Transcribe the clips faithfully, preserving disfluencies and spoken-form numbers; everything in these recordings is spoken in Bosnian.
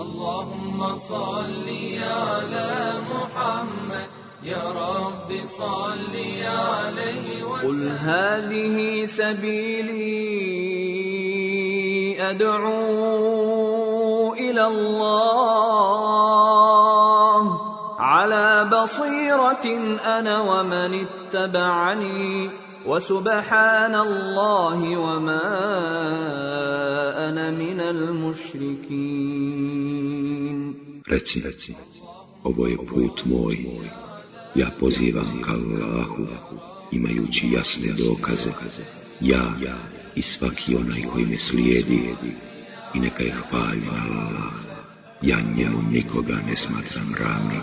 اللهم صل على محمد يا رب صل عليه وسلم. قل هذه سبيلي أدعو إلى الله على بصيرة أنا ومن اتبعني وسبحان الله وما أنا من المشركين. Reci, reci, ovo je put moj, ja pozivam ka Allahu, imajući jasne dokaze, ja i svaki onaj koji me slijedi, i neka je hvaljen Allah, ja njemu nikoga ne smatram ravnim.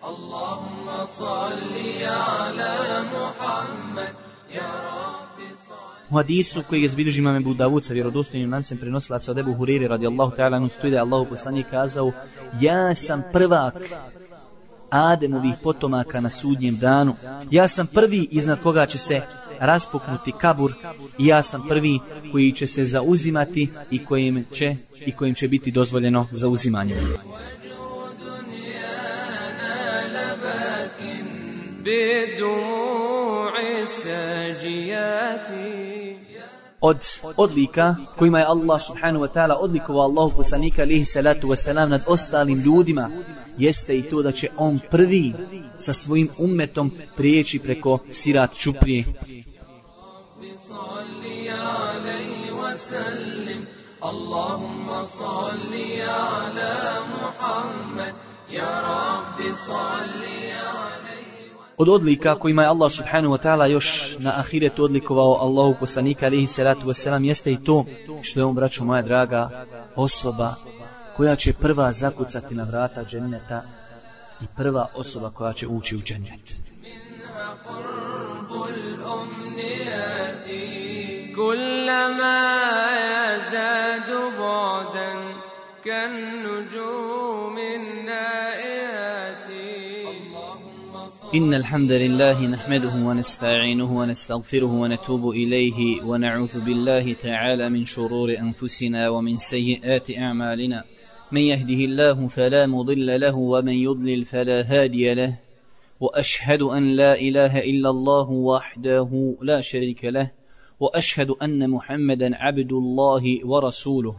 Allahumma salli ala Muhammad ya Rabbi salli. U hadisu koji je zbilježi imam Ebu Davud sa vjerodostojnim lancem prenosilaca od Ebu Huriri radijallahu ta'ala anhu stoji da je Allahu poslanik kazao: ja sam prvak Ademovih potomaka na sudnjem danu. Ja sam prvi iznad koga će se raspuknuti kabur i ja sam prvi koji će se zauzimati i kojim će, i kojim će biti dozvoljeno zauzimanje. Od odlika kojima je Allah subhanahu wa ta'ala odlikovao Allahu poslanika alejhi salatu wasalam nad ostalim ljudima jeste i to da će on prvi sa svojim ummetom prijeći preko sirat čuprije. Allahumma salli ala Muhammad ya Rabbi salli alejhi. Od odlika kojima je Allah subhanahu wa ta'ala još na ahiretu odlikovao Allahu poslanika alejhi salatu vesselam jeste i to što je on, braćo moja draga, osoba koja će prva zakucati na vrata dženneta i prva osoba koja će ući u džennet. كلما يزداد بعدا كالنجوم النائيات. إن الحمد لله نحمده ونستعينه ونستغفره ونتوب إليه ونعوذ بالله تعالى من شرور أنفسنا ومن سيئات أعمالنا. من يهده الله فلا مضل له ومن يضلل فلا هادي له. وأشهد أن لا إله إلا الله وحده لا شريك له. وأشهد أن محمدا عبد الله ورسوله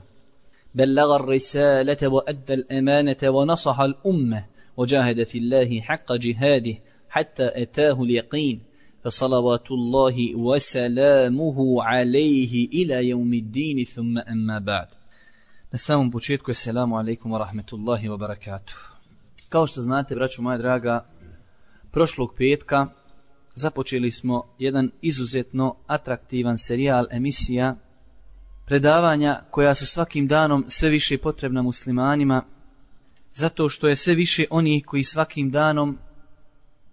بلغ الرسالة وأدى الأمانة ونصح الأمة وجاهد في الله حق جهاده حتى أتاه اليقين فصلوات الله وسلامه عليه إلى يوم الدين ثم أما بعد. Na samom početku assalamu alaikum wa rahmetullahi wa barakatuh. Kao što znate, braćo moja draga, prošlog petka započeli smo jedan izuzetno atraktivan serijal emisija, predavanja koja su svakim danom sve više potrebna muslimanima, zato što je sve više onih koji svakim danom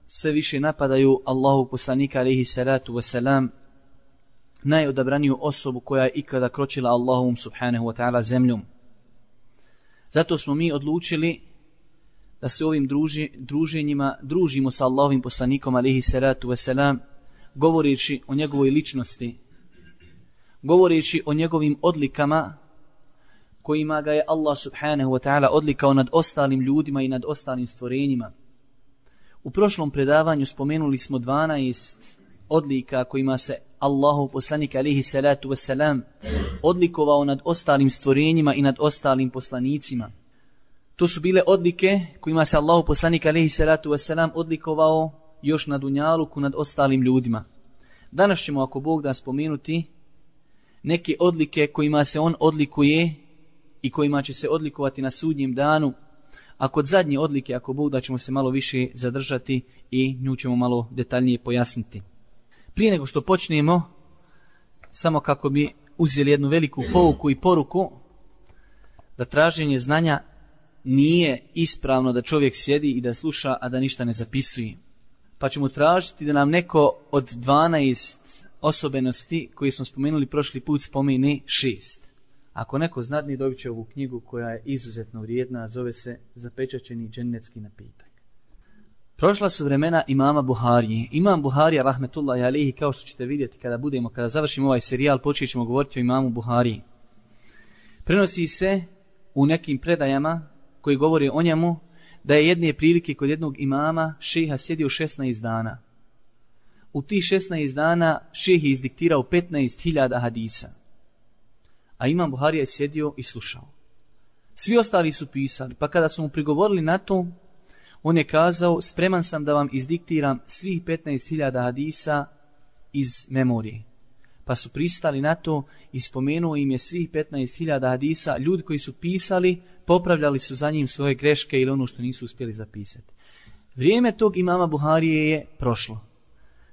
sve više napadaju Allahu poslanika alejhi salatu wasalam, najodabraniju osobu koja je ikada kročila Allahom subhanahu wa ta'ala zemljom. Zato smo mi odlučili da se ovim druži, druženjima družimo sa Allahovim poslanikom alejhi salatu wasalam, govoreći o njegovoj ličnosti, govoreći o njegovim odlikama kojima ga je Allah subhanahu wa ta'ala odlikao nad ostalim ljudima i nad ostalim stvorenjima. U prošlom predavanju spomenuli smo dvanaest odlika kojima se Allahov poslanik alejhi salatu wasalam odlikovao nad ostalim stvorenjima i nad ostalim poslanicima. To su bile odlike kojima se Allahov poslanik alejhi salatu wasalam odlikovao još na dunjaluku nad ostalim ljudima. Danas ćemo, ako Bog da, spomenuti neke odlike kojima se on odlikuje i kojima će se odlikovati na sudnjem danu, a kod zadnje odlike, ako Bog da, ćemo se malo više zadržati i nju ćemo malo detaljnije pojasniti. Prije nego što počnemo, samo kako bi uzeli jednu veliku pouku i poruku, da traženje znanja nije ispravno da čovjek sjedi i da sluša, a da ništa ne zapisuje. Pa ćemo tražiti da nam neko od dvanaest osobenosti koje smo spomenuli prošli put spomene šest. Ako neko znadni, dobit će ovu knjigu koja je izuzetno vrijedna, zove se Zapečaćeni džennetski napitak. Prošla su vremena imama Buharije. Imam Buharija, rahmetullahi alejhi, kao što ćete vidjeti kada budemo, kada završimo ovaj serijal, počet ćemo govoriti o imamu Buhariji. Prenosi se u nekim predajama koji govore o njemu da je jedne prilike kod jednog imama šeha sjedio šesnaest dana. U tih šesnaest dana šejh je izdiktirao petnaest hiljada hadisa. A imam Buharija je sjedio i slušao. Svi ostali su pisali, pa kada su mu prigovorili na to, on je kazao, spreman sam da vam izdiktiram svih petnaest hiljada hadisa iz memorije. Pa su pristali na to i spomenuo im je svih petnaest hiljada hadisa. Ljudi koji su pisali, popravljali su za njim svoje greške ili ono što nisu uspjeli zapisati. Vrijeme tog imama Buharije je prošlo.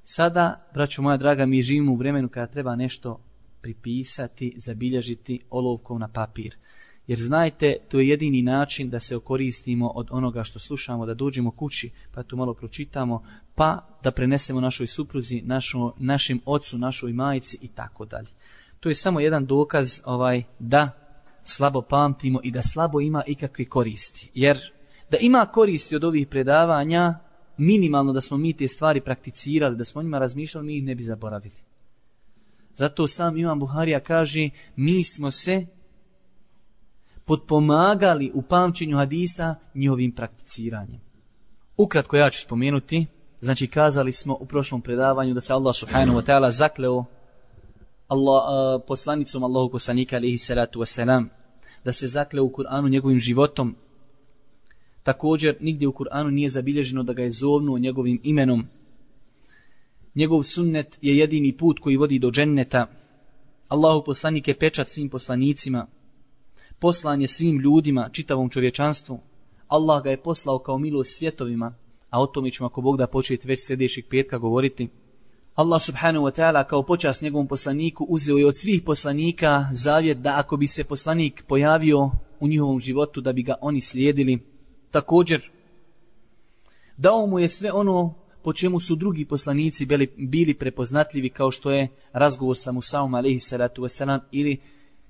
Sada, braćo moja draga, mi živimo u vremenu kada treba nešto pripisati, zabilježiti olovkom na papir. Jer znajte, to je jedini način da se okoristimo od onoga što slušamo, da dođemo kući, pa to malo pročitamo, pa da prenesemo našoj supruzi, našo, našem ocu, našoj majici i tako dalje. To je samo jedan dokaz ovaj da slabo pamtimo i da slabo ima ikakve koristi. Jer da ima koristi od ovih predavanja, minimalno da smo mi te stvari prakticirali, da smo o njima razmišljali, mi ih ne bi zaboravili. Zato sam imam Buharija kaže, mi smo se potpomagali u pamćenju hadisa njihovim prakticiranjem. Ukratko ja ću spomenuti, znači kazali smo u prošlom predavanju da se Allah subhanahu wa ta'ala zakleo Allah, uh, poslanicom Allahu poslanika alejhi salatu vesselam, da se zakleo u Kur'anu njegovim životom. Također nigdje u Kur'anu nije zabilježeno da ga je zovnuo njegovim imenom. Njegov sunnet je jedini put koji vodi do dženneta. Allahu poslanik je pečat svim poslanicima. Poslan je svim ljudima, čitavom čovječanstvu. Allah ga je poslao kao milost svjetovima, a o tome ćemo ako Bog da početi već sljedećeg petka govoriti. Allah subhanahu wa ta'ala kao počast njegovom poslaniku uzeo je od svih poslanika zavjet da ako bi se poslanik pojavio u njihovom životu da bi ga oni slijedili. Također dao mu je sve ono po čemu su drugi poslanici bili, bili prepoznatljivi, kao što je razgovor sa Musaom alejhi salatu vesselam ili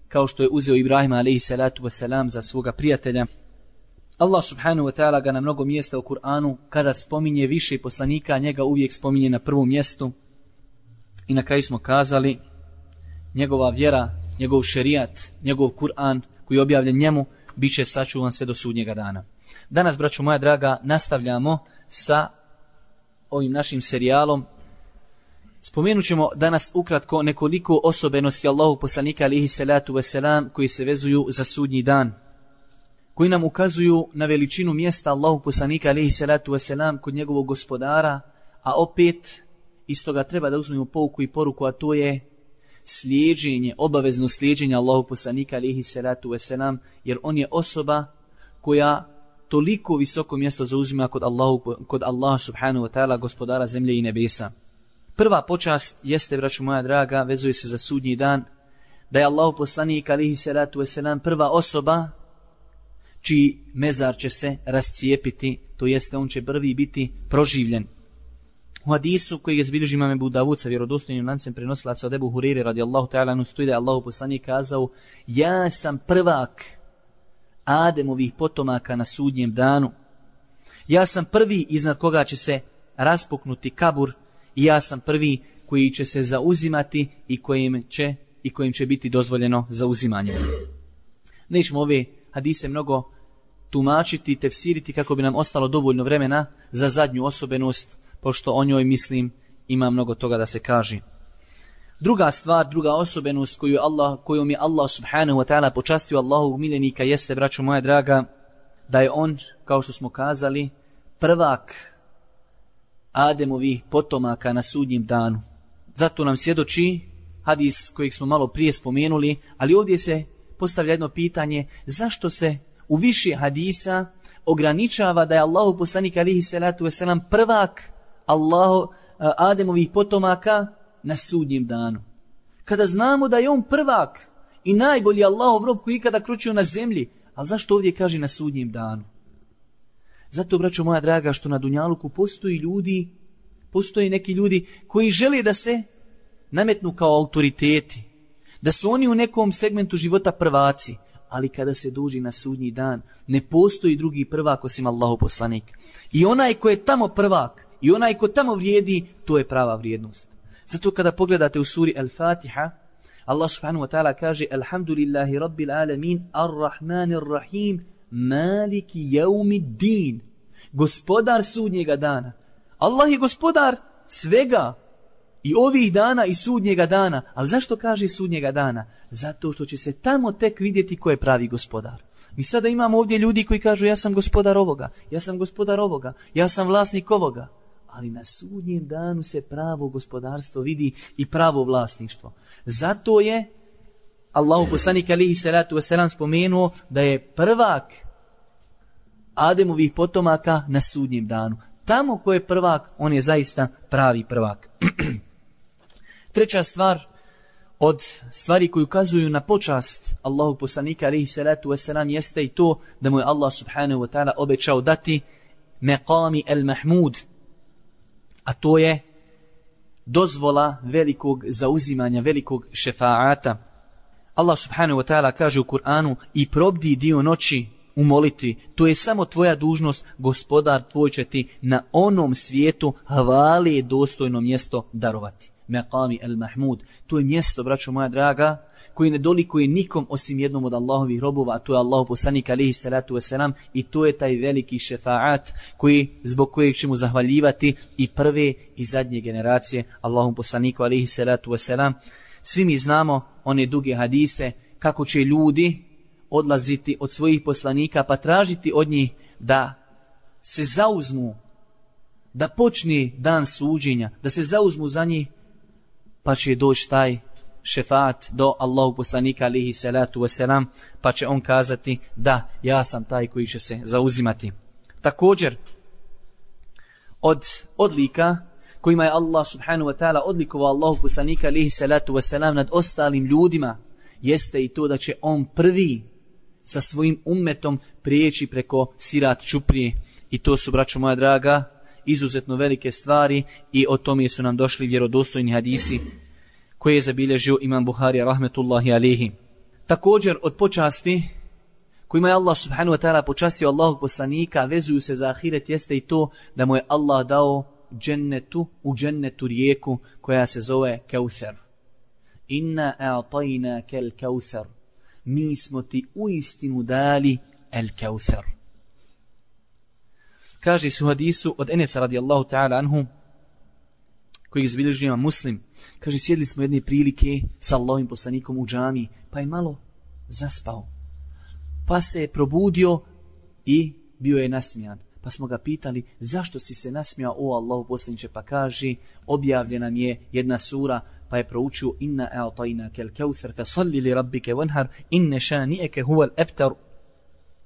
kao što je uzeo Ibrahima alejhi salatu vesselam za svoga prijatelja. Allah subhanahu wa ta'ala ga na mnogo mjesta u Kur'anu kada spominje više poslanika, njega uvijek spominje na prvom mjestu. I na kraju smo kazali, njegova vjera, njegov šerijat, njegov Kur'an koji je objavljen njemu, bit će sačuvan sve do sudnjega dana. Danas, braćo moja draga, nastavljamo sa ovim našim serijalom. Spomenut ćemo danas ukratko nekoliko osobenosti Allahu poslanika alejhi salatu vesselam koji se vezuju za sudnji dan, koji nam ukazuju na veličinu mjesta Allahu poslanika alejhi salatu vesselam kod njegovog gospodara, a opet iz toga treba da uzmemo pouku i poruku, a to je slijeđenje, obavezno slijeđenje Allahu poslanika alejhi salatu vesselam, jer on je osoba koja toliko visoko mjesto zauzima kod Allahu, kod Allah subhanahu wa ta'ala, gospodara zemlje i nebesa. Prva počast jeste, braćo moja draga, vezuje se za sudnji dan, da je Allahu poslanik alejhi salatu vesselam prva osoba čiji mezar će se rascijepiti, to jeste on će prvi biti proživljen. U hadisu koji je zbilježi imam Ebu Davud sa vjerodostojnim lancem prenosilaca od Ebu Hureyre radijallahu ta'ala anhu stoji da je Allahu poslanik kazao: ja sam prvak Ademovih potomaka na sudnjem danu. Ja sam prvi iznad koga će se raspuknuti kabur i ja sam prvi koji će se zauzimati i kojim će, i kojim će biti dozvoljeno zauzimanje. Nećemo ove hadise mnogo tumačiti, tefsiriti kako bi nam ostalo dovoljno vremena za zadnju osobenost, pošto o njoj, mislim, ima mnogo toga da se kaže. Druga stvar, druga osobenost koju Allah, kojom je Allah subhanahu wa ta'ala počastio Allahovog miljenika jeste, braćo moja draga, da je on, kao što smo kazali, prvak Ademovih potomaka na sudnjem danu. Zato nam svjedoči hadis kojeg smo malo prije spomenuli, ali ovdje se postavlja jedno pitanje, zašto se u više hadisa ograničava da je Allahu poslanik alejhi salatu vesselam prvak Allahu Ademovih potomaka na sudnjem danu, kada znamo da je on prvak i najbolji Allahov rob koji ikada kročio na zemlji. Ali zašto ovdje kaže na sudnjem danu? Zato, braćo moja draga, što na dunjaluku postoji ljudi, postoji neki ljudi koji žele da se nametnu kao autoriteti, da su oni u nekom segmentu života prvaci, ali kada se dođe na sudnji dan, ne postoji drugi prvak osim Allahov poslanik. I onaj ko je tamo prvak, i onaj ko tamo vrijedi, to je prava vrijednost. Zato kada pogledate u suri Al-Fatiha, Allah subhanahu wa ta'ala kaže Alhamdulillahi rabbil alamin ar-Rahmanir Rahim Maliki jaumiddin. Gospodar sudnjega dana. Allah je gospodar svega. I ovih dana i sudnjega dana. Ali zašto kaže sudnjega dana? Zato što će se tamo tek vidjeti ko je pravi gospodar. Mi sada imamo ovdje ljudi koji kažu ja sam gospodar ovoga, ja sam gospodar ovoga, ja sam vlasnik ovoga. Ali na sudnjem danu se pravo gospodarstvo vidi i pravo vlasništvo. Zato je Allahu poslanik alejhi salatu vesselam spomenuo da je prvak Ademovih potomaka na sudnjem danu. Tamo ko je prvak, on je zaista pravi prvak. Treća stvar od stvari koji ukazuju na počast Allahu poslanika alejhi salatu vesselam jeste i to da mu je Allah subhanahu wa ta'ala obećao dati meqami el-mahmud, a to je dozvola velikog zauzimanja, velikog šefaata. Allah subhanahu wa ta'ala kaže u Kur'anu i probdi dio noći u molitvi, to je samo tvoja dužnost, gospodar tvoj će ti na onom svijetu hvale dostojno mjesto darovati. Meqami el-mahmud, to je mjesto, braćo moja draga, koji ne dolikuje nikom osim jednom od Allahovih robova, a to je Allahu poslanik alejhi salatu vesselam, i to je taj veliki šefaat koji, zbog kojeg ćemo zahvaljivati i prve i zadnje generacije Allahom poslaniku alejhi salatu vesselam. Svi mi znamo one duge hadise kako će ljudi odlaziti od svojih poslanika pa tražiti od njih da se zauzmu, da počne dan suđenja, da se zauzmu za njih, pa će doći taj šefaat do Allahu poslanika alejhi salatu vesselam, pa će on kazati da ja sam taj koji će se zauzimati. Također od odlika kojima je Allah subhanahu wa ta'ala odlikovao Allahu poslanika alejhi salatu vesselam nad ostalim ljudima jeste i to da će on prvi sa svojim ummetom prijeći preko sirat čuprije, i to su, braćo moja draga, izuzetno velike stvari i o tome su nam došli vjerodostojni hadisi koje je zabilježio imam Buharija rahmetullahi alejhi. Također od počasti kojima je Allah subhanahu wa ta'ala počastio Allahog poslanika, vezuju se za ahiret, jeste i to da mu je Allah dao džennetu, u džennetu rijeku koja se zove Kauthar. Inna a'tajna kel Kauthar. Mi smo ti uistinu dali el Kauthar. Kaže su hadisu od Enesa radijallahu ta'ala anhu, koji je zabilježio imam Muslim. Kaže, sjedli smo jedne prilike sa Allahovim poslanikom u džami, pa je malo zaspao. Pa se je probudio i bio je nasmijan. Pa smo ga pitali, zašto si se nasmijao, o Allahu poslaniče? Pa kaže, objavljena mi je jedna sura, pa je proučio inna a'tajnaka al-kauthar fasalli li rabbika wanhar inna shani'aka huwa al-abtar.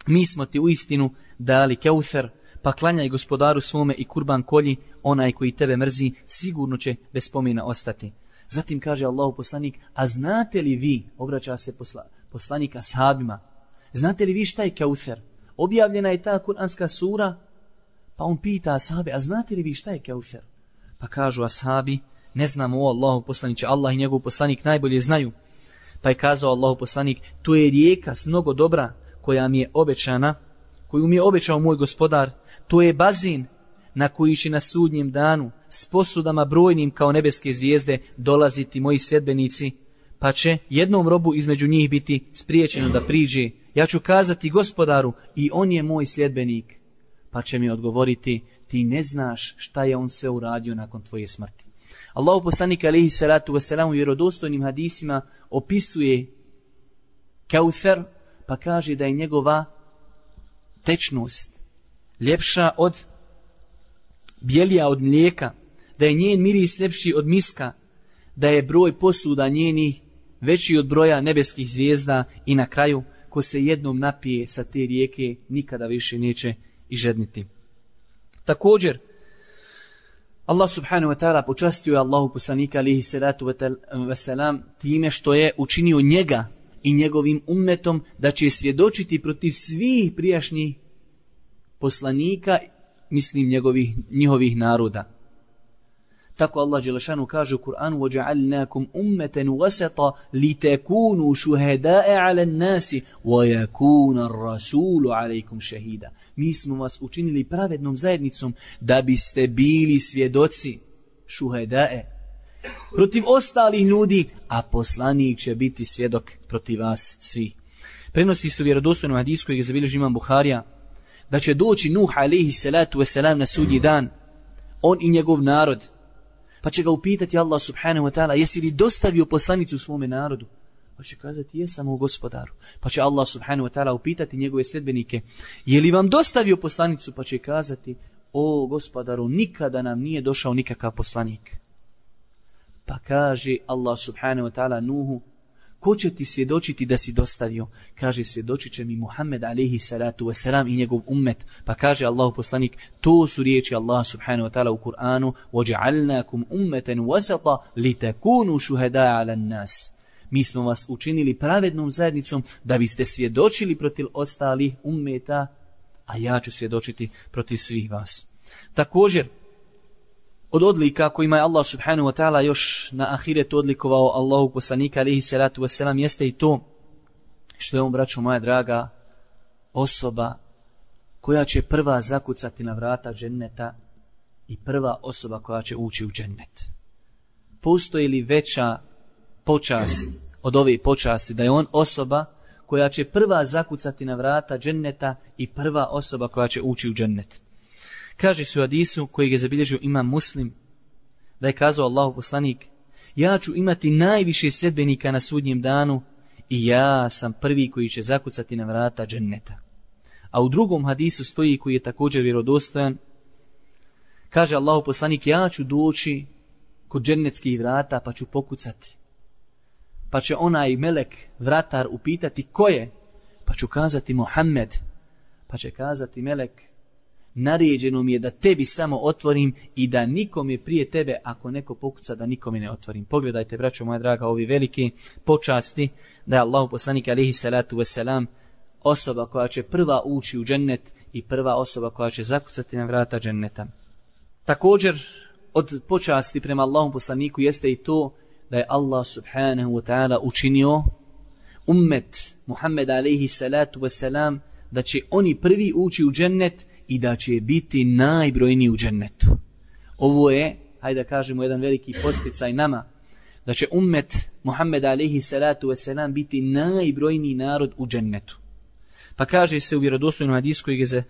Mi smo ti uistinu dali Kauthar, pa klanjaj gospodaru svome i kurban kolji, onaj koji tebe mrzi sigurno će bez spomena ostati. Zatim kaže Allahu poslanik, a znate li vi, obraća se posla, poslanika sahabima, znate li vi šta je Kauthar? Objavljena je ta kuranska sura, pa on pita ashabe, a znate li vi šta je Kauthar? Pa kažu ashabi, ne znamo, o Allahu poslaniče, Allah i njegov poslanik najbolje znaju. Pa je kazao Allahu poslanik, to je rijeka s mnogo dobra koja mi je obećana, koju mi je obećao moj gospodar, to je bazin na koji će na sudnjem danu s posudama brojnim kao nebeske zvijezde dolaziti moji sljedbenici, pa će jednom robu između njih biti spriječeno da priđe. Ja ću kazati gospodaru i on je moj sljedbenik, pa će mi odgovoriti, ti ne znaš šta je on sve uradio nakon tvoje smrti. Allahu poslanik alejhi salatu vesselam u vjerodostojnim hadisima opisuje Kauthar, pa kaže da je njegova tečnost ljepša od bijelija od mlijeka, da je njen miris ljepši od miska, da je broj posuda njenih veći od broja nebeskih zvijezda i na kraju, ko se jednom napije sa te rijeke, nikada više neće i žedniti. Također, Allah subhanahu wa ta'ala počastio je Allahu poslanika alejhi salatu vesselam time što je učinio njega i njegovim ummetom da će svjedočiti protiv svih prijašnjih poslanika, mislim njegovih, njihovih naroda. Tako Allah dželešanu kaže u Kur'anu, وَجَعَلْنَاكُمْ أُمَّةً وَسَطًا لِتَكُونُوا شُهَدَاءَ عَلَى النَّاسِ وَيَكُونَ الرَّسُولُ عَلَيْكُمْ شَهِيدًا. Mi smo vas učinili pravednom zajednicom da biste bili svjedoci, šuhedae, protiv ostalih ljudi, a poslanik će biti svjedok protiv vas svi. Prenosi se u vjerodostojnom hadisu kojeg je zabilježio imam Buharija, da će doći Nuh alejhi salatu vesselam na sudnji dan, on i njegov narod, pa će ga upitati Allah subhanahu wa ta'ala, jesi li dostavio poslanicu svome narodu? Pa će kazati, jesam u gospodaru. Pa će Allah subhanahu wa ta'ala upitati njegove sljedbenike, je li vam dostavio poslanicu? Pa će kazati, o gospodaru, nikada nam nije došao nikakav poslanik. Pa kaže Allah subhanahu wa ta'ala Nuhu, ko će ti svjedočiti da si dostavio? Kaže, svjedočit će mi Muhammed alejhi salatu wasalam i njegov ummet. Pa kaže Allahu poslanik, to su riječi Allah subhanahu wa ta'ala u Kur'anu, وَجَعَلْنَاكُمْ أُمَّةً وَسَطًا لِتَكُونُوا شُهَدَاءَ عَلَى النَّاسِ. Mi smo vas učinili pravednom zajednicom da biste svjedočili protiv ostalih ummeta, a ja ću svjedočiti protiv svih vas. Također, od odlika kojima je Allah subhanahu wa ta'ala još na ahiretu odlikovao Allahu poslanika alejhi salatu vesselam jeste i to što je on, braćo moja draga, osoba koja će prva zakucati na vrata dženneta i prva osoba koja će ući u džennet. Postoji li veća počast od ove počasti da je on osoba koja će prva zakucati na vrata dženneta i prva osoba koja će ući u džennet? Kaže se u hadisu kojeg je zabilježio imam Muslim, da je kazao Allahu poslanik, ja ću imati najviše sljedbenika na sudnjem danu i ja sam prvi koji će zakucati na vrata dženneta. A u drugom hadisu stoji, koji je također vjerodostojan, kaže Allahu poslanik, ja ću doći kod džennetskih vrata pa ću pokucati. Pa će onaj melek, vratar, upitati ko je? Pa ću kazati Muhammed. Pa će kazati melek, naređeno mi je da tebi samo otvorim i da nikome prije tebe, ako neko pokuca, da nikome ne otvorim. Pogledajte, braćo moja draga, ovi veliki počasti da je Allahu poslanik alejhi salatu vesselam osoba koja će prva ući u džennet i prva osoba koja će zakucati na vrata dženneta. Također, od počasti prema Allahom poslaniku jeste i to da je Allah subhanahu wa ta'ala učinio ummet Muhammed alejhi salatu vesselam da će oni prvi ući u džennet i da će biti najbrojniji u džennetu. Ovo je, hajde da kažemo, jedan veliki podsticaj nama, da će ummet Muhammed alejhi salatu vesselam biti najbrojniji narod u džennetu. Pa kaže se u vjerodostojnom hadisu kojeg je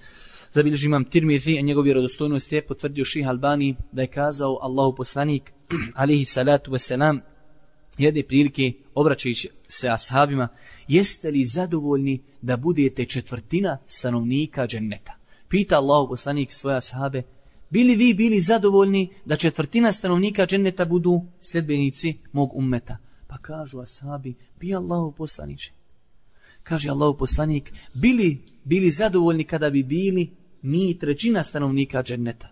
zabilježio imam Tirmizi, a njegov vjerodostojnost je potvrdio Šejh Albani, da je kazao Allahu poslanik alejhi salatu vesselam jedne prilike obraćajući se ashabima, jeste li zadovoljni da budete četvrtina stanovnika dženneta? Pita Allahu poslanik svoje ashabe, bili vi bili zadovoljni da četvrtina stanovnika dženneta budu sljedbenici mog ummeta? Pa kažu ashabi, bi Allahu poslaniče. Kaže Allahu poslanik, bili bili zadovoljni kada bi bili mi trećina stanovnika dženneta?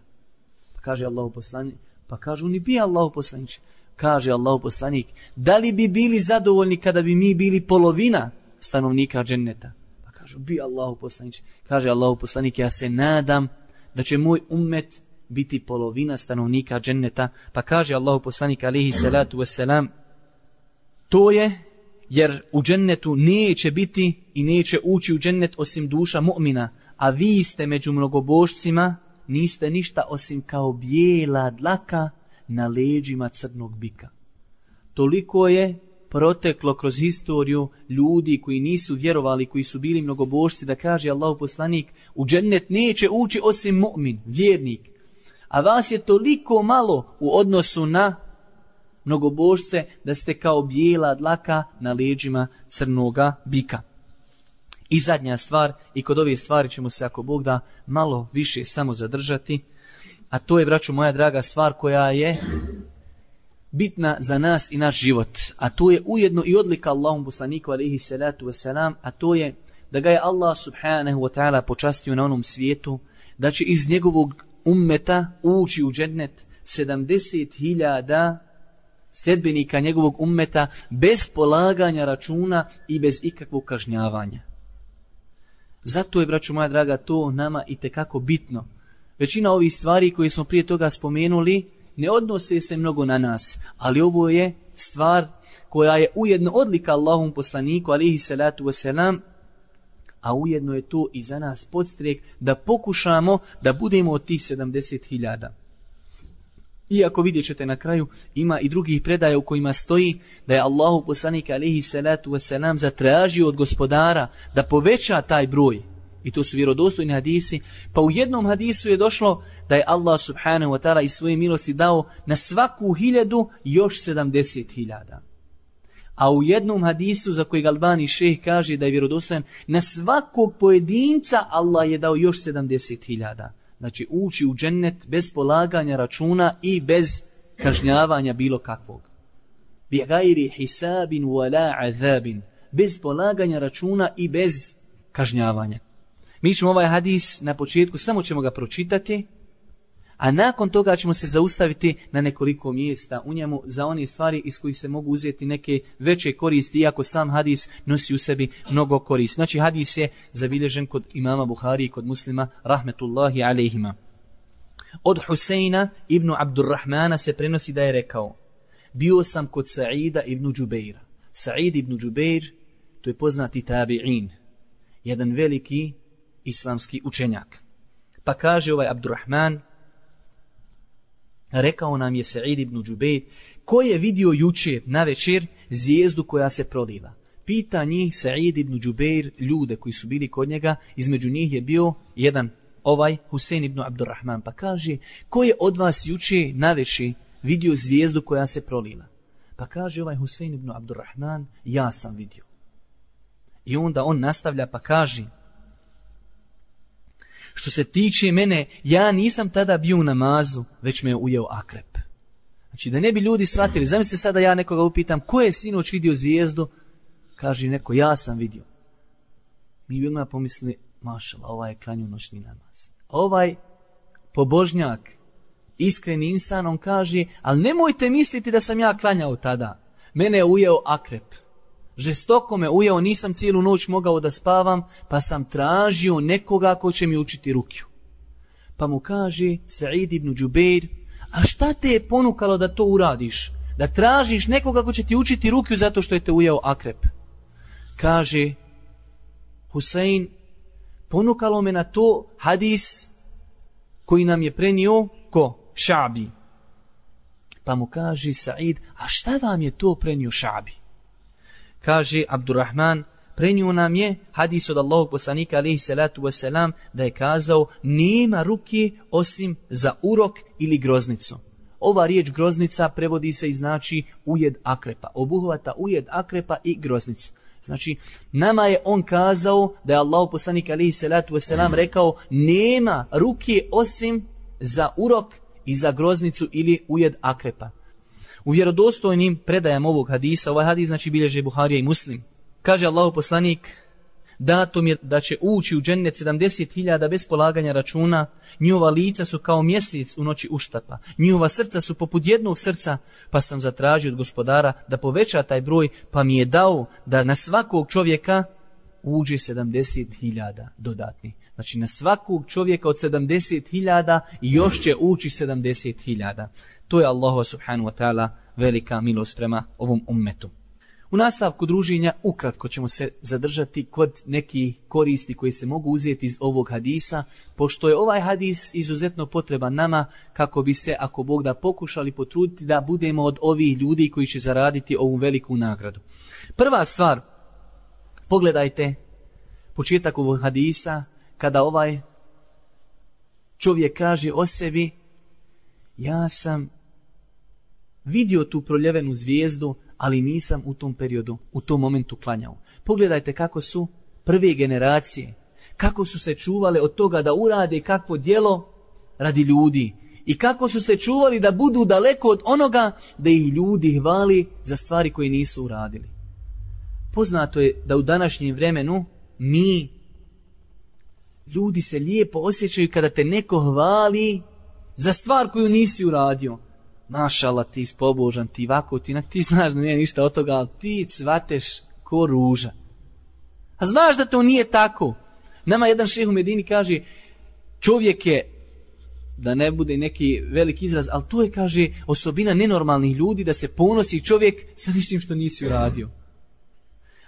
Pa kaže Allahu poslanik, pa kažu ni bi Allahu poslaniče. Kaže Allahu poslanik, da li bi bili zadovoljni kada bi mi bili polovina stanovnika dženneta? Pa kažu, bi Allahu poslaniče. Kaže Allahu poslanik, ja se nadam da će moj ummet biti polovina stanovnika dženneta. Pa kaže Allahu poslanik alejhi salatu vesselam, to je jer u džennetu neće biti i neće ući u džennet osim duša mu'mina, a vi ste među mnogobožcima, niste ništa osim kao bijela dlaka na leđima crnog bika. Toliko je proteklo kroz historiju ljudi koji nisu vjerovali, koji su bili mnogobožci, da kaže Allahu poslanik, u džennet neće ući osim mu'min, vjernik. A vas je toliko malo u odnosu na mnogobožce da ste kao bijela dlaka na leđima crnoga bika. I zadnja stvar, i kod ove stvari ćemo se, ako Bog da, malo više samo zadržati, a to je, braćo moja draga, stvar koja je bitna za nas i naš život. A to je ujedno i odlika Allahom poslaniku alejhi salatu vesselam, a to je da ga je Allah subhanahu wa ta'ala počastio na onom svijetu, da će iz njegovog ummeta ući u džennet sedamdeset hiljada sljedbenika njegovog ummeta bez polaganja računa i bez ikakvog kažnjavanja. Zato je, braćo moja draga, to nama itekako bitno. Većina ovih stvari koje smo prije toga spomenuli ne odnose se mnogo na nas, ali ovo je stvar koja je ujedno odlika Allahom poslaniku alejhi salatu vesselam, a ujedno je to i za nas podstrek da pokušamo da budemo od tih sedamdeset hiljada. Iako vidjet ćete na kraju, ima i drugih predaja u kojima stoji da je Allahu poslanik alejhi salatu vesselam zatražio od gospodara da poveća taj broj. I to su vjerodostojni hadisi. Pa u jednom hadisu je došlo da je Allah subhanahu wa ta'ala iz svoje milosti dao na svaku hiljadu još sedamdeset hiljada. A u jednom hadisu za kojeg Albani šejh kaže da je vjerodostojan, na svakog pojedinca Allah je dao još sedamdeset hiljada. Znači ući u džennet bez polaganja računa i bez kažnjavanja bilo kakvog. Bi gajri hisabin wala azabin. Bez polaganja računa i bez kažnjavanja. Mi ćemo ovaj hadis na početku, samo ćemo ga pročitati, a nakon toga ćemo se zaustaviti na nekoliko mjesta u njemu za one stvari iz kojih se mogu uzeti neke veće koristi, iako sam hadis nosi u sebi mnogo koristi. Znači hadis je zabilježen kod imama Buhari i kod Muslima, rahmetullahi alejhima. Od Huseina ibn Abdurrahmana se prenosi da je rekao: bio sam kod Sa'ida ibn Džubeira. Sa'id ibn Džubeir, to je poznati tabi'in, jedan veliki islamski učenjak. Pa kaže ovaj Abdurrahman, rekao nam je Sa'id ibn Džubeir, ko je vidio jučer na večer zvijezdu koja se prolila. Pita njih Sa'id ibn Džubeir ljude koji su bili kod njega, između njih je bio jedan ovaj Husein ibn Abdurrahman. Pa kaže, ko je od vas jučer na večer vidio zvijezdu koja se prolila? Pa kaže ovaj Husein ibn Abdurrahman, ja sam vidio. I onda on nastavlja pa kaže, što se tiče mene, ja nisam tada bio u namazu, već me je ujeo akrep. Znači da ne bi ljudi shvatili, zamislite sada ja nekoga upitam, ko je sinoć vidio zvijezdu? Kaže neko, ja sam vidio. Mi bi odmah pomislili, mašala, ovaj je klanju noćni namaz. Ovaj pobožnjak, iskreni insan, on kaže, ali nemojte misliti da sam ja klanjao tada. Mene je ujeo akrep. Žestoko me ujeo, nisam cijelu noć mogao da spavam, pa sam tražio nekoga ko će mi učiti rukju. Pa mu kaže Sa'id ibn Džubeir, a šta te je ponukalo da to uradiš? Da tražiš nekoga ko će ti učiti rukju zato što je te ujeo akrep? Kaže Husein, ponukalo me na to hadis koji nam je prenio ko? Ša'bi. Pa mu kaže Sa'id, a šta vam je to prenio Ša'bi? Kaže Abdurrahman, prenio nam je hadis od Allahog poslanika alejhi salatu vesselam da je kazao, nema ruke osim za urok ili groznicu. Ova riječ groznica prevodi se i znači ujed akrepa. Obuhvata ujed akrepa i groznicu. Znači, nama je on kazao da je Allahog poslanik alejhi salatu vesselam rekao, nema ruke osim za urok i za groznicu ili ujed akrepa. U vjerodostojnim predajama ovog hadisa, ovaj hadis znači bilježe Buharija i Muslim, kaže Allahov poslanik, dato mi je da će ući u džennet sedamdeset hiljada bez polaganja računa, njihova lica su kao mjesec u noći uštapa, njihova srca su poput jednog srca, pa sam zatražio od gospodara da poveća taj broj, pa mi je dao da na svakog čovjeka uđe sedamdeset hiljada dodatni. Znači na svakog čovjeka od sedamdeset hiljada još će ući sedamdeset hiljada. To je Allahu subhanahu wa ta'ala velika milost prema ovom ummetu. U nastavku druženja ukratko ćemo se zadržati kod nekih koristi koji se mogu uzeti iz ovog hadisa, pošto je ovaj hadis izuzetno potreban nama kako bi se, ako Bog da, pokušali potruditi da budemo od ovih ljudi koji će zaraditi ovu veliku nagradu. Prva stvar, pogledajte početak ovog hadisa kada ovaj čovjek kaže o sebi, ja sam vidio tu proljevenu zvijezdu, ali nisam u tom periodu, u tom momentu klanjao. Pogledajte kako su prve generacije, kako su se čuvale od toga da urade kakvo djelo radi ljudi i kako su se čuvali da budu daleko od onoga da ih ljudi hvali za stvari koje nisu uradili. Poznato je da u današnjem vremenu mi, ljudi se lijepo osjećaju kada te neko hvali za stvar koju nisi uradio. Mašala, ti pobožan, ti ovako, ti, ti znaš da nije ništa od toga, ali ti cvateš ko ruža. A znaš da to nije tako. Nama jedan šejh u Medini kaže, čovjek je, da ne bude neki veliki izraz, ali to je, kaže, osobina nenormalnih ljudi da se ponosi čovjek sa ništim što nisi uradio.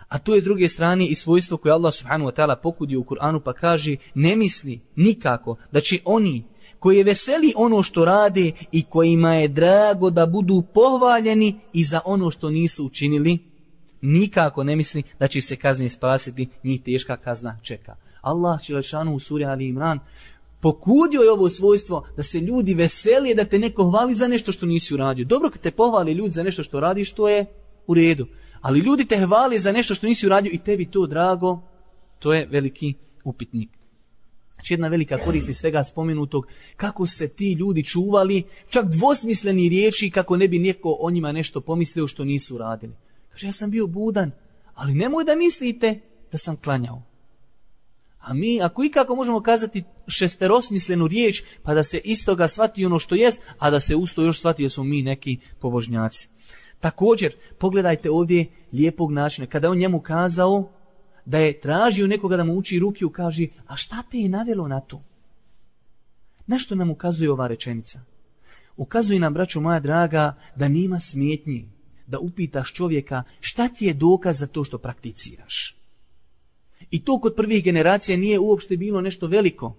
A to je s druge strane i svojstvo koje Allah subhanahu wa ta'ala pokudio u Kur'anu, pa kaže, ne misli nikako da će oni koje veseli ono što rade i kojima je drago da budu pohvaljeni i za ono što nisu učinili, nikako ne misli da će se kazne spasiti, njih teška kazna čeka. Allah dželešanu u suri Ali Imran pokudio je ovo svojstvo da se ljudi veseli, da te neko hvali za nešto što nisi uradio. Dobro kad te pohvali ljudi za nešto što radiš, to je u redu. Ali ljudi te hvali za nešto što nisi uradio i tebi to drago, to je veliki upitnik. Znači jedna velika korist iz svega spomenutog, kako se ti ljudi čuvali, čak dvosmisleni riječi, kako ne bi neko o njima nešto pomislio što nisu radili. Kaže, ja sam bio budan, ali nemoj da mislite da sam klanjao. A mi, ako ikako možemo kazati šesterosmislenu riječ, pa da se iz toga shvati ono što jest, a da se usto još shvati da smo mi neki pobožnjaci. Također, pogledajte ovdje lijepog načina. Kada je on njemu kazao da je tražio nekoga da mu uči rukiju, kaže, a šta te je navelo na to? Na što nam ukazuje ova rečenica? Ukazuje nam, braćo moja draga, da nema smetnji da upitaš čovjeka šta ti je dokaz za to što prakticiraš. I to kod prvih generacija nije uopšte bilo nešto veliko.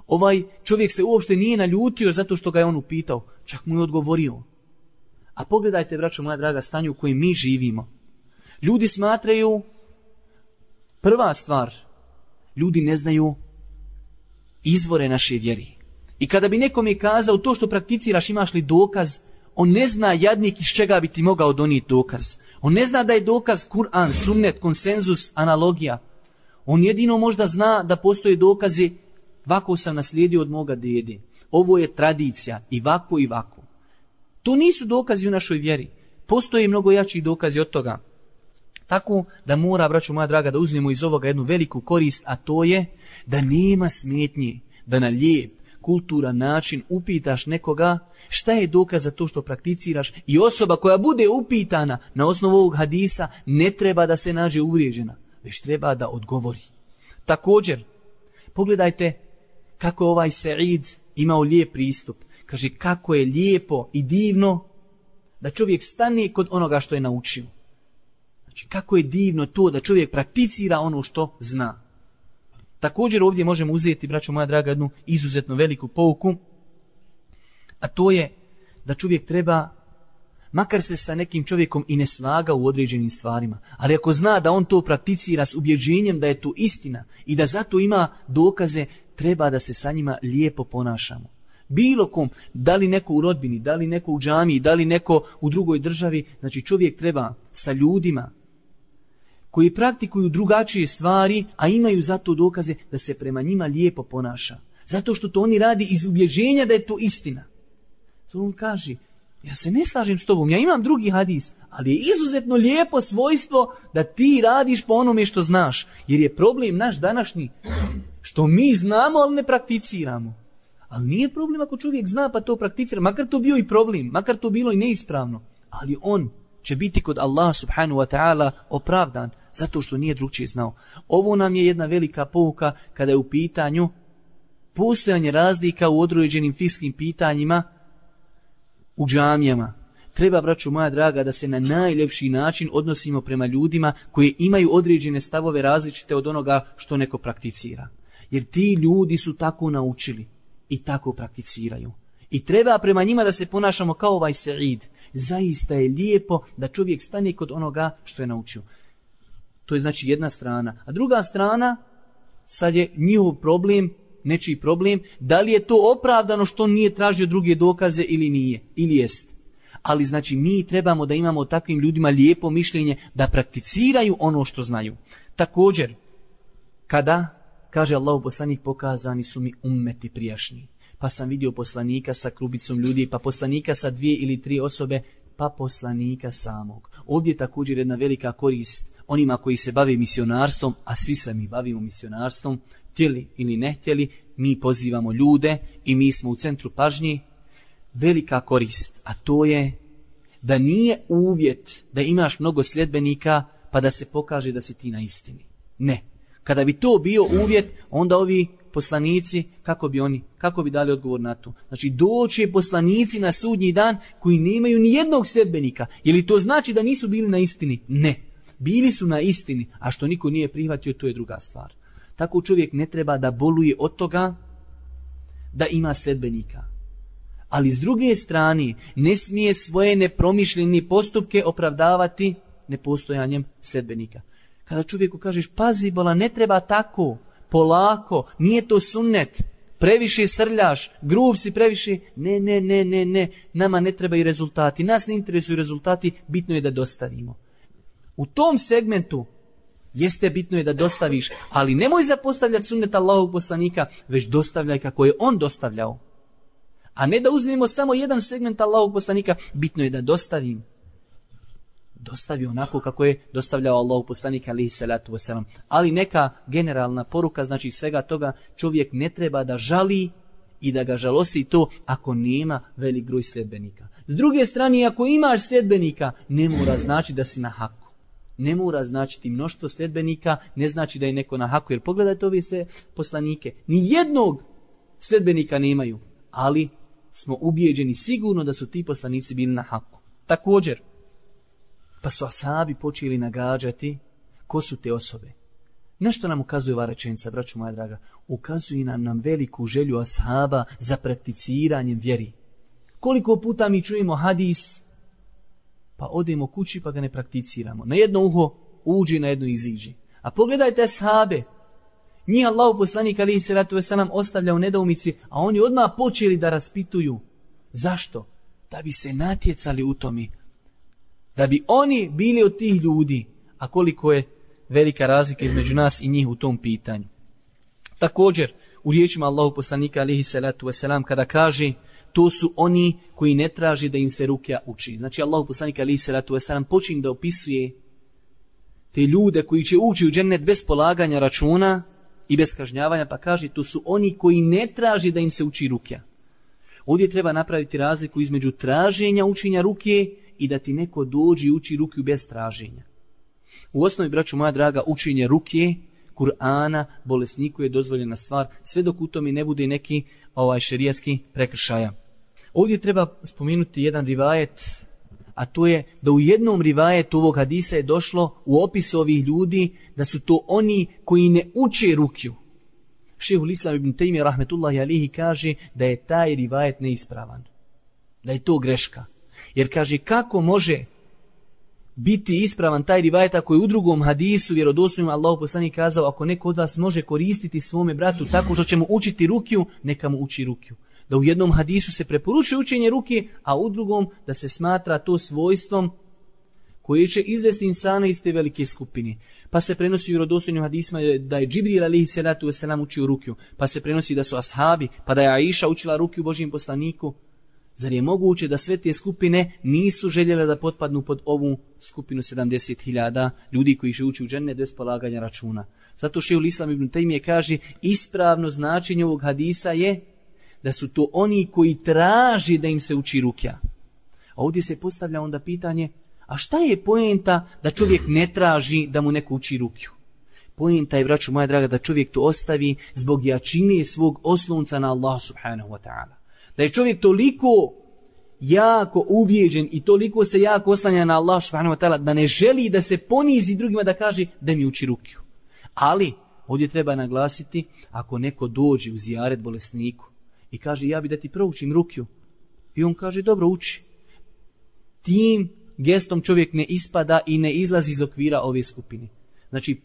Ovaj čovjek se uopšte nije naljutio zato što ga je on upitao, čak mu je odgovorio. A pogledajte, braćo moja draga, stanje u kojem mi živimo. Ljudi smatraju, prva stvar, ljudi ne znaju izvore naše vjeri. I kada bi nekom je kazao to što prakticiraš imaš li dokaz, on ne zna jadnik iz čega bi ti mogao donijeti dokaz. On ne zna da je dokaz Kur'an, sunnet, konsenzus, analogija. On jedino možda zna da postoje dokazi, ovako sam naslijedio od moga dede. Ovo je tradicija i vako i vako. To nisu dokazi u našoj vjeri. Postoje mnogo jači dokazi od toga. Tako da mora, braćo moja draga, da uzmemo iz ovoga jednu veliku korist, a to je da nema smetnje, da na lijep, kulturan način upitaš nekoga šta je dokaz za to što prakticiraš i osoba koja bude upitana na osnovu ovog hadisa ne treba da se nađe uvrijeđena, već treba da odgovori. Također, pogledajte kako je ovaj Said imao lijep pristup. Kaže kako je lijepo i divno da čovjek stane kod onoga što je naučio. Znači kako je divno to da čovjek prakticira ono što zna. Također ovdje možemo uzeti, braćo moja draga, jednu izuzetno veliku pouku, a to je da čovjek treba, makar se sa nekim čovjekom i ne slaga u određenim stvarima, ali ako zna da on to prakticira s ubjeđenjem da je to istina i da zato ima dokaze, treba da se sa njima lijepo ponašamo. Bilo kom, da li neko u rodbini, da li neko u džamiji, da li neko u drugoj državi, znači čovjek treba sa ljudima koji praktikuju drugačije stvari, a imaju zato dokaze da se prema njima lijepo ponaša. Zato što to oni radi iz ubjeđenja da je to istina. To on kaže, ja se ne slažem s tobom, ja imam drugi hadis, ali je izuzetno lijepo svojstvo da ti radiš po onome što znaš. Jer je problem naš današnji, što mi znamo, ali ne prakticiramo. Ali nije problem ako čovjek zna pa to prakticira, makar to bio i problem, makar to bilo i neispravno. Ali on će biti kod Allah subhanahu wa ta'ala opravdan, zato što nije drugčije znao. Ovo nam je jedna velika pouka kada je u pitanju postojanje razlika u određenim fikskim pitanjima u džamijama. Treba, braćo moja draga, da se na najljepši način odnosimo prema ljudima koji imaju određene stavove različite od onoga što neko prakticira. Jer ti ljudi su tako naučili i tako prakticiraju. I treba prema njima da se ponašamo kao ovaj Said. Zaista je lijepo da čovjek stane kod onoga što je naučio. To je znači jedna strana. A druga strana, sad je njihov problem, nečiji problem, da li je to opravdano što on nije tražio druge dokaze ili nije, ili jest. Ali znači mi trebamo da imamo takvim ljudima lijepo mišljenje, da prakticiraju ono što znaju. Također, kada, kaže Allahu poslanik, pokazani su mi ummeti prijašnji. Pa sam vidio poslanika sa klubicom ljudi, pa poslanika sa dvije ili tri osobe, pa poslanika samog. Ovdje je također jedna velika korist onima koji se bave misionarstvom, a svi se mi bavimo misionarstvom, htjeli ili ne htjeli, mi pozivamo ljude i mi smo u centru pažnje. Velika korist, a to je da nije uvjet da imaš mnogo sljedbenika pa da se pokaže da si ti na istini. Ne. Kada bi to bio uvjet, onda ovi poslanici, kako bi oni, kako bi dali odgovor na to? Znači, doće poslanici na sudnji dan koji nemaju ni jednog sljedbenika. Je li to znači da nisu bili na istini? Ne. Bili su na istini, a što niko nije prihvatio, to je druga stvar. Tako čovjek ne treba da boluje od toga da ima sledbenika. Ali s druge strane, ne smije svoje nepromišljene postupke opravdavati nepostojanjem sledbenika. Kada čovjeku kažeš, pazi bola, ne treba tako, polako, nije to sunnet, previše srljaš, grub si previše, ne, ne, ne, ne, ne, nama ne trebaju rezultati, nas ne interesuju rezultati, bitno je da dostavimo. U tom segmentu jeste bitno je da dostaviš, ali nemoj zapostavljati sunnet Allahovog poslanika, već dostavljaj kako je on dostavljao. A ne da uzmemo samo jedan segment Allahovog poslanika, bitno je da dostavim. Dostavi onako kako je dostavljao Allahov poslanik alejhi salatu vesselam. Ali neka generalna poruka, znači svega toga, čovjek ne treba da žali i da ga žalosti to ako nema velik broj sljedbenika. S druge strane, ako imaš sljedbenika, ne mora znači da si na haku. Ne mora značiti mnoštvo sljedbenika, ne znači da je neko na haku. Jer pogledajte ove sve poslanike, ni jednog sljedbenika nemaju, ali smo ubijeđeni sigurno da su ti poslanici bili na haku. Također, pa su ashabi počeli nagađati ko su te osobe. Nešto nam ukazuje ova rečenica, braćo moja draga? Ukazuje nam, nam veliku želju ashaba za prakticiranjem vjeri. Koliko puta mi čujemo hadis, pa odemo kući pa ga ne prakticiramo. Na jedno uho uđi, na jedno iziđi. A pogledajte ashabe. Njih Allahu poslanik alejhi salatu vesselam ostavlja u nedoumici, a oni odmah počeli da raspituju. Zašto? Da bi se natjecali u tome. Da bi oni bili od tih ljudi. A koliko je velika razlika između nas i njih u tom pitanju. Također, u riječima Allahu poslanika alejhi salatu vesselam kada kaže, to su oni koji ne traži da im se rukja uči. Znači Allahu poslanik alejhi salatu vesselam počinje da opisuje te ljude koji će ući u džennet bez polaganja računa i bez kažnjavanja, pa kaže, to su oni koji ne traži da im se uči rukja. Ovdje treba napraviti razliku između traženja učenja rukje i da ti neko dođe i uči rukju bez traženja. U osnovi, braću moja draga, učenje rukje, Kur'ana, bolesniku je dozvoljena stvar, sve dok u tome ne bude neki ovaj šerijatski prekršaja. Ovdje treba spomenuti jedan rivajet, a to je da u jednom rivajetu ovog hadisa je došlo u opisu ovih ljudi da su to oni koji ne uče rukju. Šejhul Islam ibn Tejmije rahmetullahi alihi kaže da je taj rivajet neispravan. Da je to greška. Jer kaže, kako može biti ispravan taj rivajet ako je u drugom hadisu vjerodostojnom Allahu poslanik kazao, ako neko od vas može koristiti svome bratu tako što će mu učiti rukju, neka mu uči rukju. Da u jednom hadisu se preporučuje učenje ruke, a u drugom da se smatra to svojstvom koje će izvesti insana iz te velike skupine. Pa se prenosi u vjerodostojnim hadisima da je Džibril alejhi salatu vesselam učio rukju, pa se prenosi da su ashabi, pa da je Aisha učila rukju Božjem poslaniku. Zar je moguće da sve te skupine nisu željele da potpadnu pod ovu skupinu sedamdeset hiljada ljudi koji će ući u džennet bez polaganja računa? Zato šejhul Islam ibn Tejmije kaže, ispravno značenje ovog hadisa je da su to oni koji traži da im se uči rukja. A ovdje se postavlja onda pitanje, a šta je poenta da čovjek ne traži da mu neko uči rukju? Poenta je, braćo moja draga, da čovjek to ostavi zbog jačine svog oslonca na Allah subhanahu wa ta'ala. Da je čovjek toliko jako ubijeđen i toliko se jako oslanja na Allah subhanahu wa ta'ala da ne želi da se ponizi drugima da kaže da mi uči rukju. Ali ovdje treba naglasiti, ako neko dođe u zijaret bolesniku i kaže, ja bi da ti proučim rukju, i on kaže, dobro, uči. Tim gestom čovjek ne ispada i ne izlazi iz okvira ove skupine. Znači,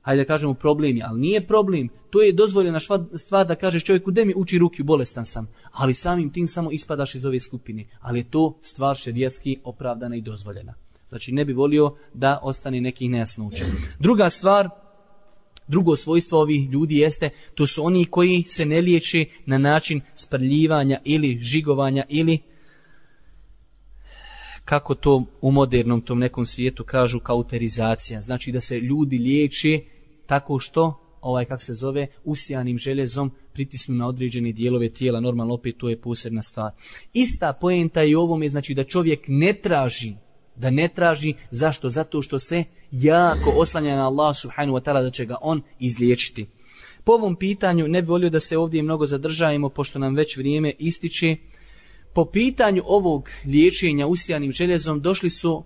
hajde da kažemo problem je, ali nije problem. To je dozvoljena stvar da kažeš čovjeku, de mi uči rukju, bolestan sam. Ali samim tim samo ispadaš iz ove skupine. Ali je to stvar šerijatski opravdana i dozvoljena. Znači, ne bi volio da ostane nekih nejasnoća. Druga stvar, drugo svojstvo ovih ljudi jeste, to su oni koji se ne liječe na način sprljivanja ili žigovanja ili, kako to u modernom tom nekom svijetu kažu, kauterizacija. Znači da se ljudi liječe tako što, ovaj kako se zove, usijanim željezom pritisnu na određene dijelove tijela. Normalno opet to je posebna stvar. Ista poenta je u ovome, znači da čovjek ne traži, da ne traži, zašto? Zato što se jako oslanja na Allah subhanahu wa ta'ala da će ga on izliječiti. Po ovom pitanju ne bi volio da se ovdje mnogo zadržajemo, pošto nam već vrijeme ističe. Po pitanju ovog liječenja usijanim željezom došli su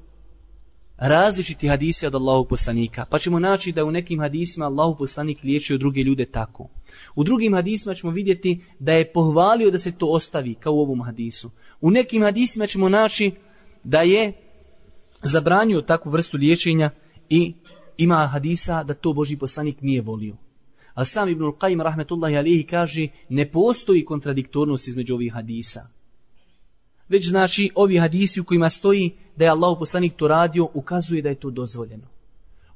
različiti hadisi od Allahovog poslanika. Pa ćemo naći da u nekim hadisima Allahov poslanik liječio druge ljude tako. U drugim hadisima ćemo vidjeti da je pohvalio da se to ostavi, kao u ovom hadisu. U nekim hadisima ćemo naći da je zabranio takvu vrstu liječenja i ima hadisa da to Božji poslanik nije volio. Ali sam Ibnul Qajim rahmetullahi alihi kaže ne postoji kontradiktornost između ovih hadisa. Već znači ovi hadisi u kojima stoji da je Allahov poslanik to radio ukazuje da je to dozvoljeno.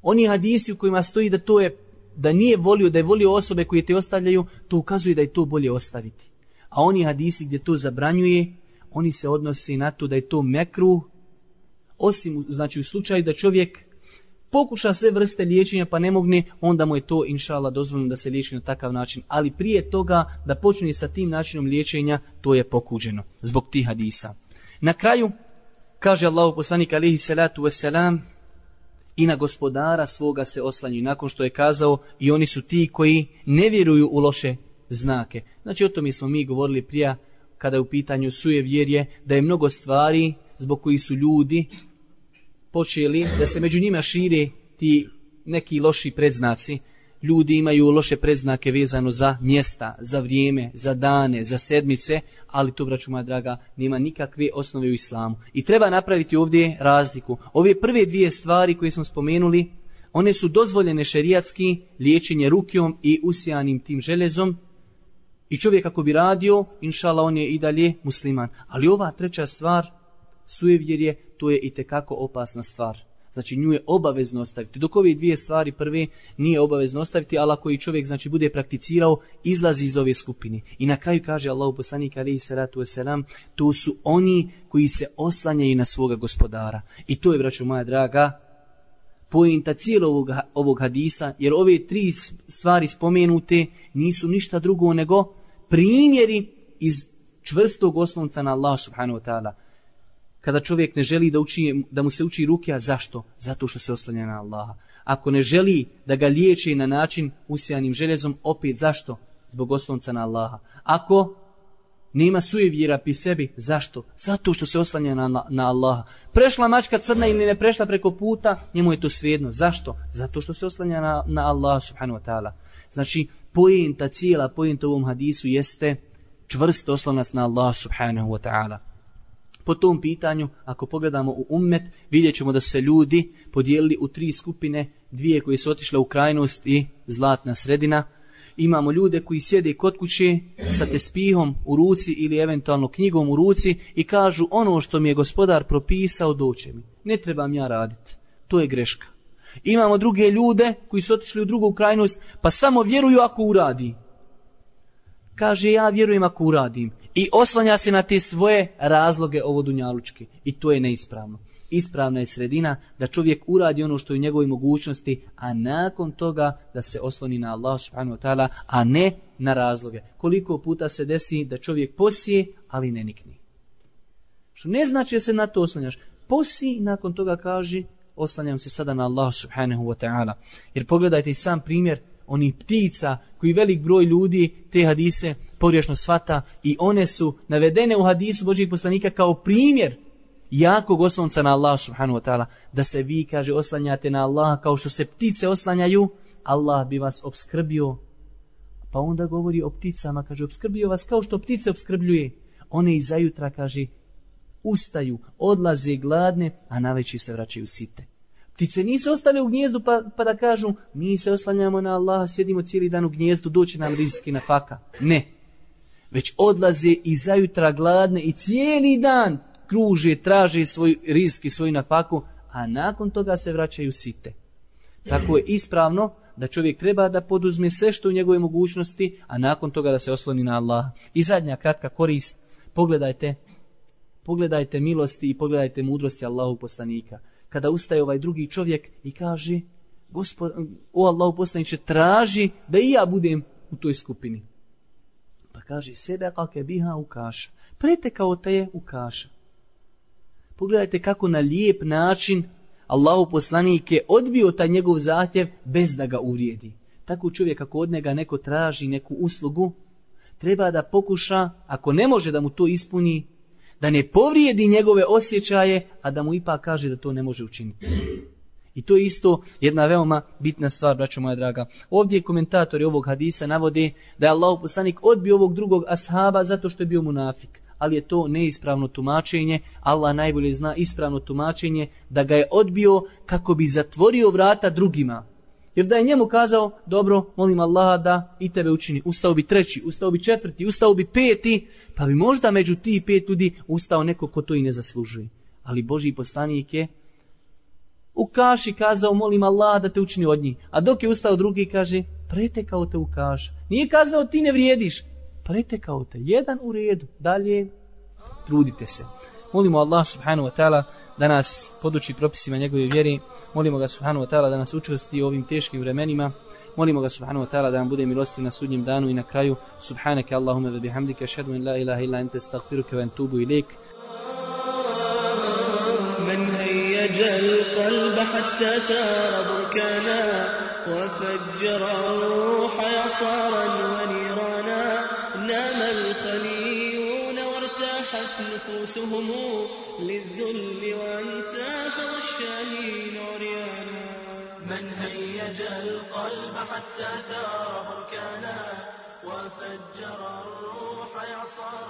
Oni hadisi u kojima stoji da to je da nije volio, da je volio osobe koje te ostavljaju, to ukazuje da je to bolje ostaviti. A oni hadisi gdje to zabranjuje, oni se odnose na to da je to mekruh, osim znači u slučaju da čovjek pokuša sve vrste liječenja pa ne mogne, onda mu je to inšallah dozvoljeno da se liječi na takav način. Ali prije toga da počne sa tim načinom liječenja, to je pokuđeno zbog tih hadisa. Na kraju kaže Allahov poslanik alejhi salatu vesselam i na gospodara svoga se oslanjaju. Nakon što je kazao i oni su ti koji ne vjeruju u loše znake. Znači o tome smo mi govorili prije kada je u pitanju sujevjerje, da je mnogo stvari zbog kojih su ljudi počeli da se među njima šire ti neki loši predznaci. Ljudi imaju loše predznake vezano za mjesta, za vrijeme, za dane, za sedmice, ali to, braću moja draga, nema nikakve osnove u islamu. I treba napraviti ovdje razliku. Ove prve dvije stvari koje smo spomenuli, one su dozvoljene šerijatski, liječenje rukijom i usijanim tim željezom. I čovjek ako bi radio, inšala on je i dalje musliman. Ali ova treća stvar, sujevjerje, to je itekako opasna stvar. Znači nju je obavezno ostaviti. Dok ove dvije stvari prve nije obavezno ostaviti, ali ako i čovjek znači bude prakticirao, izlazi iz ove skupine. I na kraju kaže Allahov poslanik alejhi salatu vesselam, to su oni koji se oslanjaju na svoga gospodara. I to je, braćo moja draga, poenta cijelog ovog, ovog hadisa, jer ove tri stvari spomenute nisu ništa drugo nego primjeri iz čvrstog oslonca na Allah subhanahu wa ta'ala. Kada čovjek ne želi da, uči, da mu se uči rukija, zašto? Zato što se oslanja na Allaha. Ako ne želi da ga liječi na način usijanim željezom, opet zašto? Zbog oslonca na Allaha. Ako nema sujevjera pri sebi, zašto? Zato što se oslanja na, na Allaha. Prešla mačka crna ili ne prešla preko puta, njemu je to svejedno. Zašto? Zato što se oslanja na, na Allaha subhanahu wa ta'ala. Znači, pojenta, cijela pojenta u ovom hadisu jeste čvrst oslonac na Allaha subhanahu wa ta'ala. Po tom pitanju, ako pogledamo u ummet, vidjet ćemo da su se ljudi podijelili u tri skupine, dvije koje su otišle u krajnost i zlatna sredina. Imamo ljude koji sjede kod kuće sa tespihom u ruci ili eventualno knjigom u ruci i kažu ono što mi je gospodar propisao doće mi. Ne trebam ja raditi. To je greška. Imamo druge ljude koji su otišli u drugu krajnost pa samo vjeruju ako uradi. Kaže ja vjerujem ako uradim. I oslanja se na te svoje razloge ovodunjalučke. I to je neispravno. Ispravna je sredina da čovjek uradi ono što je u njegovoj mogućnosti, a nakon toga da se osloni na Allah subhanahu wa ta'ala, a ne na razloge. Koliko puta se desi da čovjek posije, ali ne nikni. Što ne znači da se na to oslanjaš. Posije i nakon toga kaže oslanjam se sada na Allah subhanahu wa ta'ala. Jer pogledajte i sam primjer onih ptica koji velik broj ljudi te hadise pogrešno shvata i one su navedene u hadisu Božjeg poslanika kao primjer jakog oslonca na Allah subhanahu wa ta'ala, da se vi, kaže, oslanjate na Allah kao što se ptice oslanjaju, Allah bi vas obskrbio. Pa onda govori o pticama, kaže, obskrbio vas kao što ptice obskrbljuje. One iza jutra, kaže, ustaju, odlaze gladne, a navečer se vraćaju site. Ptice nisu ostale u gnijezdu pa, pa da kažu, mi se oslanjamo na Allaha, sjedimo cijeli dan u gnijezdu, doći nam rizki na faka. Ne. Već odlaze iza jutra gladne i cijeli dan kruže, traže svoj rizk i svoju nafaku, a nakon toga se vraćaju site. Tako je ispravno da čovjek treba da poduzme sve što u njegove mogućnosti, a nakon toga da se osloni na Allaha. I zadnja kratka korist, pogledajte, pogledajte milosti i pogledajte mudrosti Allahu poslanika. Kada ustaje ovaj drugi čovjek i kaže, Gospod, o Allahu poslaniče, traži da i ja budem u toj skupini. Pa kaže, sebe kakve biha ukaša. Pretekao te je ukaša. Pogledajte kako na lijep način Allahu poslanik je odbio taj njegov zahtjev bez da ga uvrijedi. Tako čovjek ako od njega neko traži neku uslugu, treba da pokuša, ako ne može da mu to ispuni, da ne povrijedi njegove osjećaje, a da mu ipak kaže da to ne može učiniti. I to je isto jedna veoma bitna stvar, braćo moja draga. Ovdje komentatori ovog hadisa navode da je Allahov poslanik odbio ovog drugog ashaba zato što je bio munafik. Ali je to neispravno tumačenje. Allah najbolje zna ispravno tumačenje da ga je odbio kako bi zatvorio vrata drugima. Jer da je njemu kazao, dobro, molim Allaha da i tebe učini. Ustao bi treći, ustao bi četvrti, ustao bi peti, pa bi možda među ti pet ljudi ustao neko ko to i ne zaslužuje. Ali Božji poslanik je u kaši kazao, molim Allaha da te učini od njih. A dok je ustao drugi, kaže, pretekao te u kaš. Nije kazao ti ne vrijediš. Pretekao te. Jedan u redu. Dalje, trudite se. Molimo Allah subhanahu wa ta'ala da nas poduči propisima njegove vjere. Molimo ga subhanahu wa ta'ala da nas učvrsti u ovim teškim vremenima. Molimo ga subhanahu wa ta'ala da nam bude milostiv na sudnjem danu i na kraju. Subhanaka Allahumma wa bihamdika ashhadu an la ilaha illa anta astaghfiruka wa atubu ilaik. من هيج القلب حتى ثار بركانا وفجر الروح يعصارا ونيرانا نام الخليون وارتاحت نفوسهم للذل وانتفض الشاهين عريانا من هيج القلب حتى ثار بركانا وفجر الروح يعصارا